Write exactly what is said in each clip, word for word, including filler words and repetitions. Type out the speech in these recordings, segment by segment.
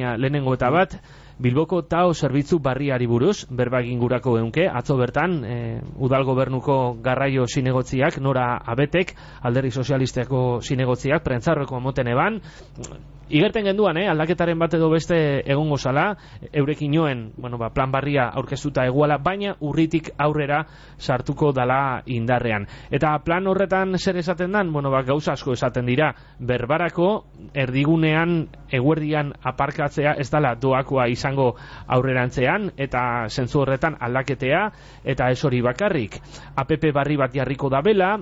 baina lehenengo eta bat, Bilboko tao zerbitzu barriari buruz, berba egin gurako eunke, atzo bertan, e, udal gobernuko garraio zinegotziak, nora abetek, alderdi sozialisteko zinegotziak, prentzarroko moten eban, igerten genduan, eh, aldaketaren bat edo beste egongo zala, eurekin joen, bueno, ba, plan barria aurkeztuta eguala, baina urritik aurrera sartuko dala indarrean. Eta plan horretan zer esaten dan? Bueno, ba, gauza asko esaten dira, berbarako erdigunean eguerdian aparkatzea ez dala doakoa izango aurrerantzean, eta zentzu horretan aldaketea, eta ez hori bakarrik. A P P barri bat jarriko dabela,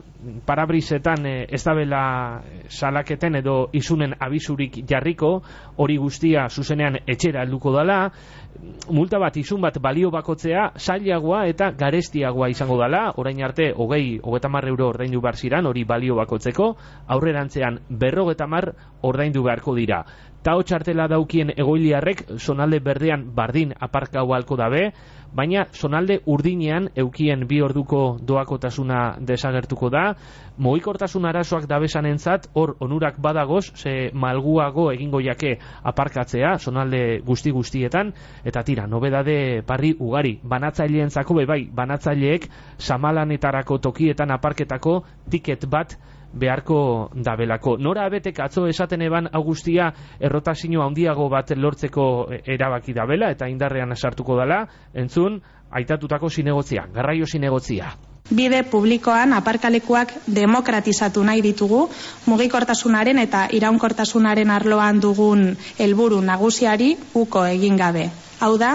parabrisetan eh, ez dabela salaketen edo izunen abisurik jarriko, hori guztia zuzenean etxera helduko dala, multa bat, izun bat balio bakotzea zailagoa eta garestiagoa izango dala, orain arte hogei, hogeita hamar euro ordaindu behar ziran, hori balio bakotzeko, aurrerantzean berrogeita hamar ordaindu beharko dira. Tao txartela daukien egoiliarrek zonalde berdean bardin aparkau halko dabe, baina zonalde urdinean eukien bi orduko doakotasuna desagertuko da, mugikortasun arazoak dabesanentzat hor onurak badagoz, ze malguago egingo jake aparkatzea, zonalde guzti guztietan, eta tira, nobedade parri ugari, banatzaileentzako be bai, banatzaileek samalanetarako tokietan aparketako tiket bat beharko dabelako. Nora abetek atzo esaten eban Augustia errotazio handiago bat lortzeko erabaki dabela eta indarrean sartuko dela, entzun, aitatutako zinegotzia, garraio zinegotzia. Bide publikoan aparkalekuak demokratizatu nahi ditugu, mugikortasunaren eta iraunkortasunaren arloan dugun helburu nagusiari uko egin gabe. Hau da,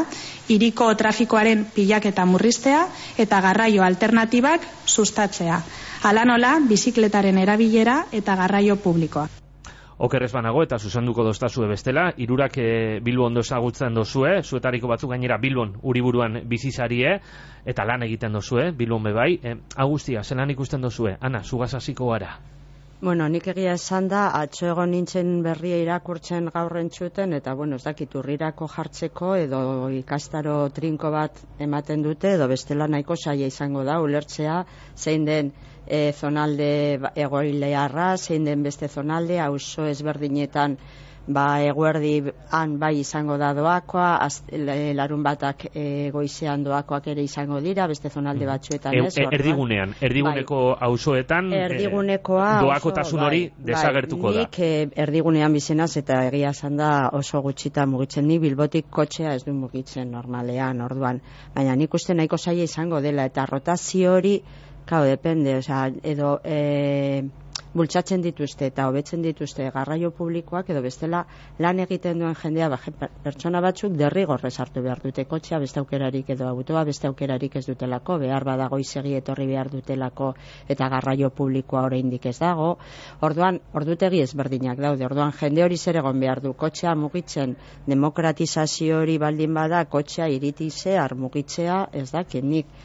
hiriko trafikoaren pilaketa murriztea eta garraio alternatibak sustatzea. Hala nola, bizikletaren erabilera eta garraio publikoa. Okerrez banago eta zuzenduko doztazue bestela, hirurak e, Bilbo ondo ezagutzen dozue, zuetariko batzuk gainera Bilbon uriburuan bizizarie, eta lan egiten dozue, Bilbon bebai. E, Agustia, zelan ikusten dozue? Ana, zugaz hasiko gara. Bueno, nik egia esan da, atxo egon nintzen berria irakurtzen gaurren txuten, eta bueno, ez dakit urrirako jartzeko, edo ikastaro trinko bat ematen dute, edo bestela nahiko saia izango da, ulertzea, zein den e, zonalde egoilearra, zein den beste zonalde, auzo ezberdinetan, ba, eguerdi han bai izango da doakoa, az, larun batak e, goizean doakoak ere izango dira, beste zonalde batzuetan ez. E, erdigunean, erdiguneko bai. Auzoetan erdigunekoa, e, doakotasun hori bai, desagertuko bai, da. Nik e, erdigunean bizenaz eta egia esan da oso gutxita mugitzen, ni Bilbotik kotxea ez du mugitzen normalean, orduan, baina nik uste nahiko zaila izango dela, eta rotazio hori, claro, depende, o sea, edo e, bultzatzen dituzte eta hobetzen dituzte garraio publikoak, edo bestela lan egiten duen jendea, ba, pertsona batzuk derrigorrez hartu behar dute kotxea, beste aukerarik edo autoa beste aukerarik ez dutelako, behar badago izegi etorri behar dutelako eta garraio publikoa oraindik ez dago. Orduan, ordutegi ezberdinak daude, orduan jende hori zer egon behar du, kotxea mugitzen, demokratizazio hori baldin bada, kotxea iritize, mugitzea, ez dakit nik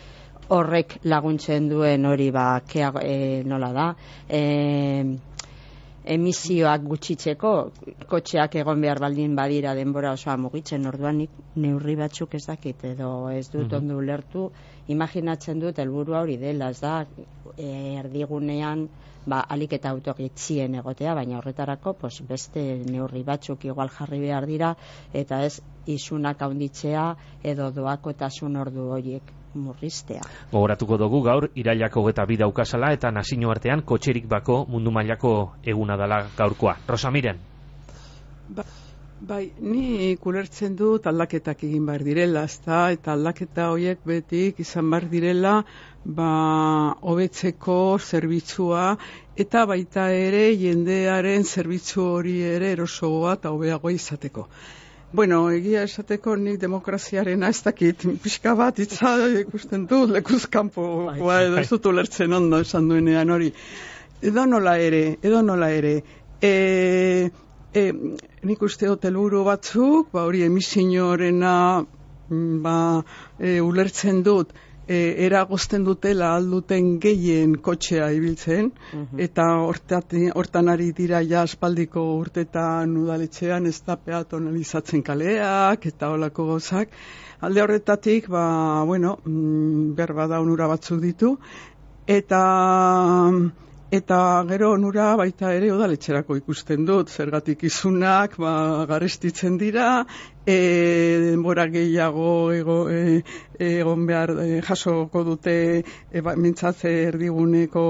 horrek laguntzen duen hori ba, kea, e, nola da, e, emisioak gutxitzeko, kotxeak egon behar baldin badira denbora osoa mugitzen, orduan nik neurri batzuk ez dakit, edo ez dut mm-hmm. ondo ulertu, imaginatzen dut helburua hori dela, ez da, e, erdigunean, ba, alik eta autogitzien egotea, baina horretarako pues, beste neurri batzuk igual jarri behar dira, eta ez isunak handitzea edo doakotasun ordu horiek murriztea. Gogoratuko dugu gaur irailako hogeita bi daukazala eta nazio artean kotxerik bako mundu mailako eguna dela gaurkoa. Rosa Miren. Ba, bai, ni ulertzen dut aldaketak egin behar direla, ezta, eta aldaketa horiek betik izan behar direla ba, hobetzeko zerbitzua eta baita ere jendearen zerbitzu hori ere erosoa eta hobeagoa izateko. Bueno, egia esateko nik demokraziarena ez dakit, pixka bat itza ikusten dut, lekuzkampo, edo ez dut ulertzen ondo esan duenean hori. Edo nola ere, edo nola ere, e, e, nik uste dut helburu batzuk, ba hori emisioarena ba, e, ulertzen dut, e, eragozten dutela alduten gehien kotxea ibiltzen, uh-huh. eta hortati, hortan ari dira ja aspaldiko urtetan udaletxean ez da peatonalizatzen kaleak eta holako gauzak. Alde horretatik, ba, bueno, berba da onura batzuk ditu, eta Eta gero onura baita ere udaletxerako ikusten dut, zergatik izunak ba, garestitzen dira, e, denbora gehiago ego, e, egon behar e, jasoko dute e, ba, mintzatze erdiguneko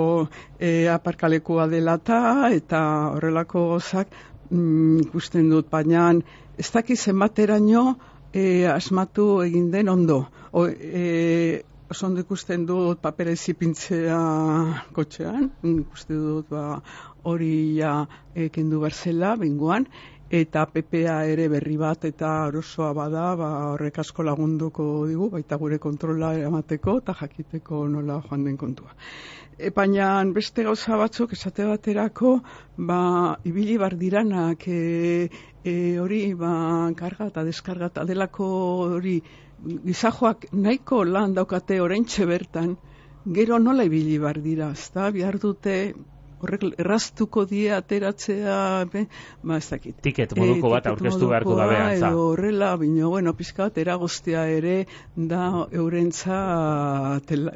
e, aparkalekua dela ta, eta horrelako gozak mm, ikusten dut, baina ez dakiz zenbateraino e, asmatu egin den ondo. O, e, Oso ondo ikusten dut papera ezipintzea kotxean, ikusten dut ba, hori ja kendu berzela, bingoan, eta P P A ere berri bat eta erosoa bada, ba, horrek asko lagunduko digu, baita gure kontrola eramateko eta jakiteko nola joan den kontua. E, baina beste gauza batzuk esate baterako, ba, ibili bar diranak, e, e, hori ba, karga eta deskarga eta delako hori, gizajoak nahiko lan daukate oraintxe bertan, gero nola ibili bar dira, ezta, behar dute horrek erraztuko die ateratzea, be, ba ez dakit. Tiket moduko bat aurkeztu beharko da beha, za. Edo horrela, bino, bueno, pizka bat eragoztea ere da eurentza,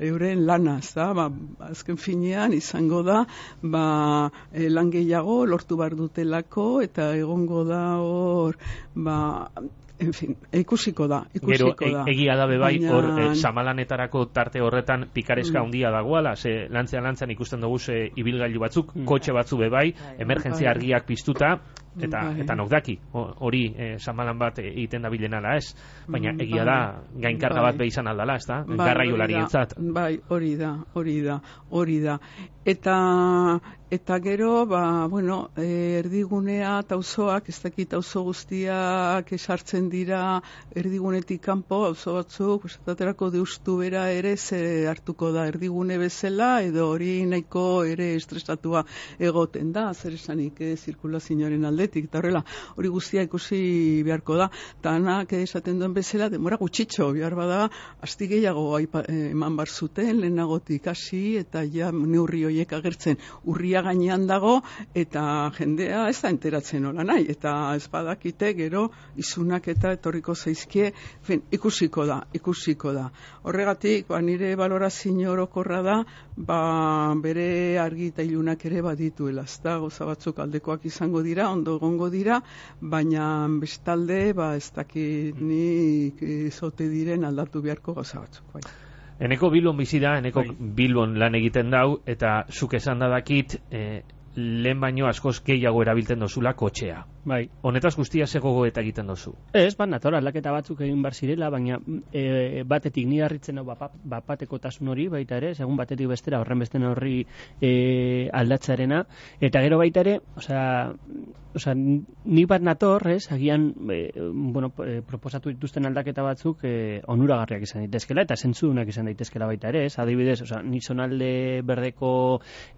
euren lana, ezta, ba, azken finean izango da, ba, e, lan gehiago lortu bar dutelako, eta egongo da hor, ba, en fin, ikusiko da, ikusiko Gero, da. E, egia da bebai, Baina... hor, e, samalanetarako tarte horretan pikareska handia dagoala, ze lantzean lantzan ikusten dugu ze ibilgailu batzuk, mm. kotxe batzu bebai, emergentzia argiak piztuta, eta bai. eta nok daki, hori e, samalan bat egiten da bilenala, ez? Baina egia da, gainkarga bat behi izan aldala, ez da? Bai, garraiolarientzat. Bai, hori da, hori da, hori da. Eta eta gero, ba, bueno, erdigunea eta auzoak, ez dakit auzo guztiak esartzen dira erdigunetik kanpo, auzo batzuk, esataterako deustu bera ere ze hartuko da erdigune bezala, edo hori nahiko ere estresatua egoten da, zer esanik eh, zirkulazioaren aldetik, eta horrela, hori guztia ikusi beharko da, eta anak esaten duen bezala, demora gutxitxo, behar bada, asti gehiago aipa, eh, eman bar zuten, lehenagotik hasi, eta ja neurri horiek agertzen urria gainean dago, eta jendea ez da enteratzen hola nahi, eta ez badakite gero izunak eta etorriko zaizkie, fin, ikusiko da, ikusiko da. Horregatik, ba, nire balorazio orokorra da, ba, bere argi eta ilunak ere badituela, ez da, goza batzuk aldekoak izango dira, ondo egongo dira, baina bestalde, ba, ez dakit nik zote diren aldatu beharko goza batzuk, bai. Eneko Bilbon bizi da, eneko Bilbon lan egiten dau, eta zuk esan dadakit, eh, lehen baino askoz gehiago erabiltzen dozula kotxea. Bai. Honetaz guztia ze gogoeta egiten dozu? Ez, bat nator, aldaketa batzuk egin bar zirela, baina e, batetik ni harritzen hau bapatekotasun hori baita ere, segun batetik bestera horren besten horri e, aldatzearena, eta gero baita ere, osea, osea, ni bat nator, ez, agian e, bueno, e, proposatu dituzten aldaketa batzuk e, onuragarriak izan daitezkela, eta zentzudunak izan daitezkela baita ere, ez, adibidez, osea, ni zonalde berdeko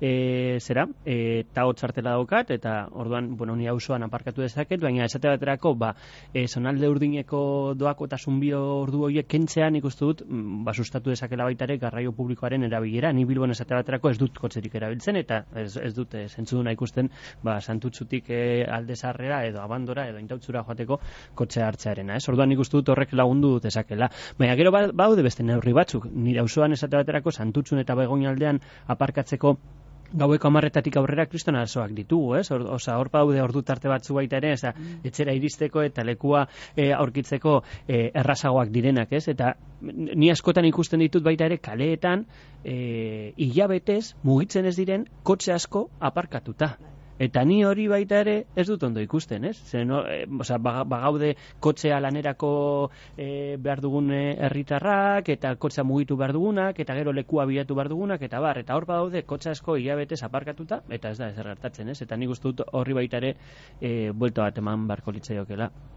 e, zera, e, eta hotzartela daukat, eta orduan, bueno, ni auzoan aparkatu dezaket, baina esate baterako, ba, e, zonalde urdineko doako eta zunbio ordu horiek kentzean ikustu dut, ba, sustatu dezakela baita ere garraio publikoaren erabilera, ni Bilbon esate baterako ez dut kotxerik erabiltzen, eta ez, ez dut e, zentzuduna ikusten, ba, Santutzutik e, alde zarrera edo abandora edo intautzura joateko kotxea hartzearena, ez? Orduan ikustu dut horrek lagundu dezakela. Baina gero ba, baude beste neurri batzuk, nire auzoan esate baterako Santutzun eta Begoñaldean aparkatzeko gaueko hamarretatik aurrera kriston arazoak ditugu, ez? Or, osa, hor paude ordu tarte batzu baita ere, eza, etxera iristeko eta lekua e, aurkitzeko e, errazagoak direnak, ez? Eta ni askotan ikusten ditut baita ere kaleetan e, hilabetez mugitzen ez diren kotxe asko aparkatuta. Eta ni hori baita ere ez dut ondo ikusten, ez? Zer, no, e, oza, bagaude kotxea lanerako e, behar dugun herritarrak, eta kotxea mugitu behar dugunak, eta gero lekua bilatu behar dugunak, eta bar, eta hor badaude kotxe asko hilabetez aparkatuta, eta ez da ezer gertatzen, ez? Eta nik uste dut horri baita ere e, buelta bat eman barko litzaiokela.